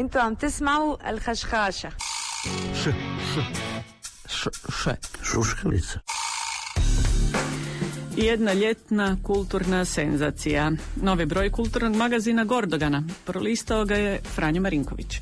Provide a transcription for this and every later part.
انتوا عم تسمعوا الخشخاشة. Šuškalica. Jedna ljetna kulturna senzacija. Novi broj kulturnog magazina Gordogana. Prolistao ga je Franjo Marinković.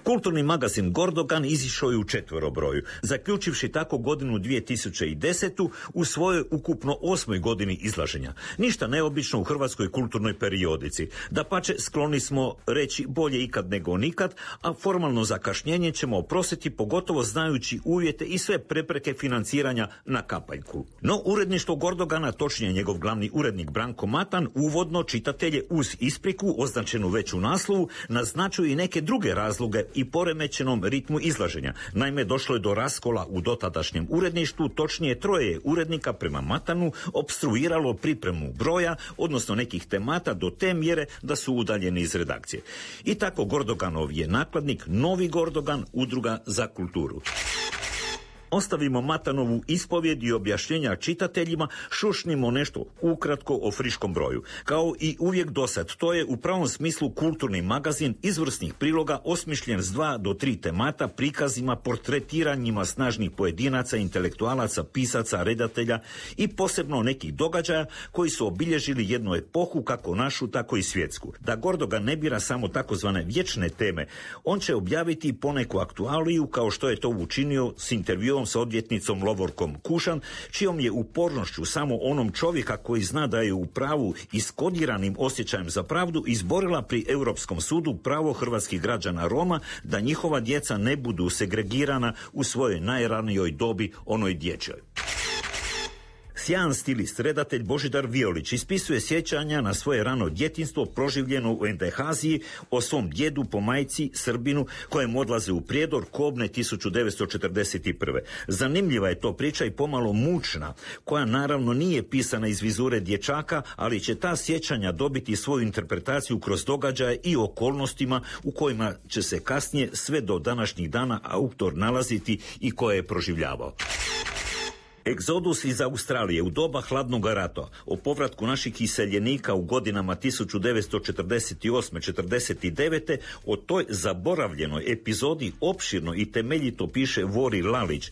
Kulturni magazin Gordogan izišao je u 4 broju, zaključivši tako godinu 2010. u svojoj ukupno 8. godini izlaženja. Ništa neobično u hrvatskoj kulturnoj periodici. Dapače, skloni smo reći bolje ikad nego nikad, a formalno zakašnjenje ćemo oprostiti, pogotovo znajući uvjete i sve prepreke financiranja na kapaljku. No, uredništvo Gordogana, točnije njegov glavni urednik Branko Matan, uvodno čitatelje uz ispriku, označenu već u naslovu, naznačuju i neke druge razloge i poremećenom ritmu izlaženja. Naime, došlo je do raskola u dotadašnjem uredništvu, točnije 3 urednika prema Matanu opstruiralo pripremu broja, odnosno nekih temata do te mjere da su udaljeni iz redakcije. I tako Gordoganov je nakladnik Novi Gordogan, udruga za kulturu. Ostavimo Matanovu ispovjed i objašnjenja čitateljima, šušnimo nešto ukratko o friškom broju. Kao i uvijek dosad, to je u pravom smislu kulturni magazin izvrsnih priloga osmišljen s 2 do 3 temata, prikazima, portretiranjima snažnih pojedinaca, intelektualaca, pisaca, redatelja i posebno nekih događaja koji su obilježili jednu epohu, kako našu, tako i svjetsku. Da Gordogan ne bira samo takozvane vječne teme, on će objaviti poneku aktualiju, kao što je to učinio s intervjuom s odvjetnicom Lovorkom Kušan, čijom je upornošću samo onom čovjeka koji zna da je u pravu i s kodiranim osjećajem za pravdu izborila pri Europskom sudu pravo hrvatskih građana Roma da njihova djeca ne budu segregirana u svojoj najranijoj dobi, onoj dječjoj. Sjajan stilist, redatelj Božidar Violić ispisuje sjećanja na svoje rano djetinjstvo proživljeno u Endehaziji, o svom djedu po majci Srbinu kojem odlaze u Prijedor kobne 1941. Zanimljiva je to priča i pomalo mučna, koja naravno nije pisana iz vizure dječaka, ali će ta sjećanja dobiti svoju interpretaciju kroz događaje i okolnostima u kojima će se kasnije sve do današnjih dana autor nalaziti i koje je proživljavao. Egzodus iz Australije u doba hladnog rata, o povratku naših iseljenika u godinama 1948-49, o toj zaboravljenoj epizodi opširno i temeljito piše Vori Lalić,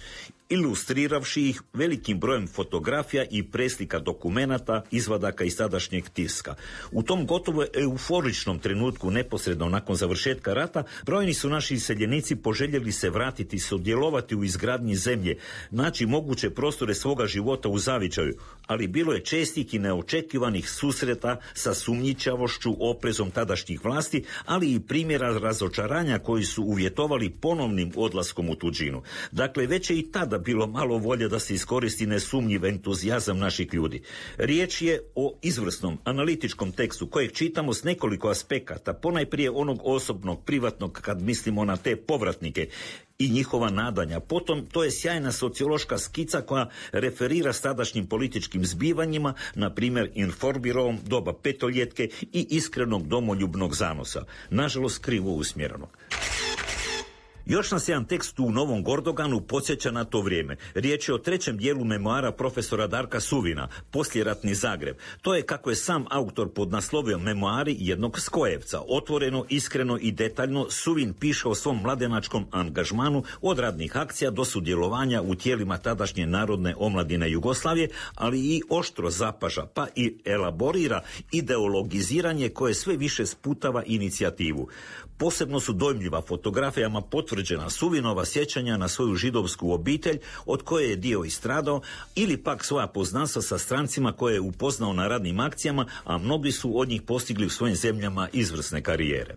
ilustriravši ih velikim brojem fotografija i preslika dokumenata, izvadaka iz tadašnjeg tiska. U tom gotovo euforičnom trenutku neposredno nakon završetka rata, brojni su naši iseljenici poželjeli se vratiti, sudjelovati u izgradnji zemlje, naći moguće prostore svoga života u zavičaju, ali bilo je čestih i neočekivanih susreta sa sumnjičavošću, oprezom tadašnjih vlasti, ali i primjera razočaranja koji su uvjetovali ponovnim odlaskom u tuđinu. Dakle, već je i tada bilo malo volje da se iskoristi nesumnjiv entuzijazam naših ljudi. Riječ je o izvrsnom analitičkom tekstu kojeg čitamo s nekoliko aspekata, ponajprije onog osobnog, privatnog, kad mislimo na te povratnike i njihova nadanja. Potom, to je sjajna sociološka skica koja referira s tadašnjim političkim zbivanjima, na primjer Inforbirovom, doba petoljetke i iskrenog domoljubnog zanosa. Nažalost, krivo usmjereno. Još nas jedan tekst u Novom Gordoganu podsjeća na to vrijeme. Riječ je o 3. dijelu memoara profesora Darka Suvina, Poslijeratni Zagreb. To je, kako je sam autor podnaslovio, memoari jednog skojevca. Otvoreno, iskreno i detaljno Suvin piše o svom mladenačkom angažmanu od radnih akcija do sudjelovanja u tijelima tadašnje Narodne omladine Jugoslavije, ali i oštro zapaža, pa i elaborira ideologiziranje koje sve više sputava inicijativu. Posebno su dojmljiva fotografijama potvrđena Suvinova sjećanja na svoju židovsku obitelj, od koje je dio istradao, ili pak svoja poznanstva sa strancima koje je upoznao na radnim akcijama, a mnogi su od njih postigli u svojim zemljama izvrsne karijere.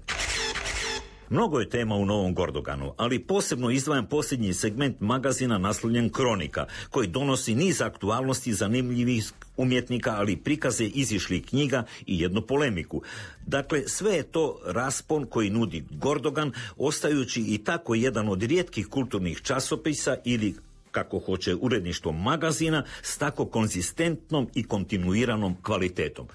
Mnogo je tema u Novom Gordoganu, ali posebno izdvajam posljednji segment magazina naslovljen Kronika, koji donosi niz aktualnosti zanimljivih umjetnika, ali prikaze izišlih knjiga i jednu polemiku. Dakle, sve je to raspon koji nudi Gordogan, ostajući i tako jedan od rijetkih kulturnih časopisa ili, kako hoće uredništvo magazina, s tako konzistentnom i kontinuiranom kvalitetom.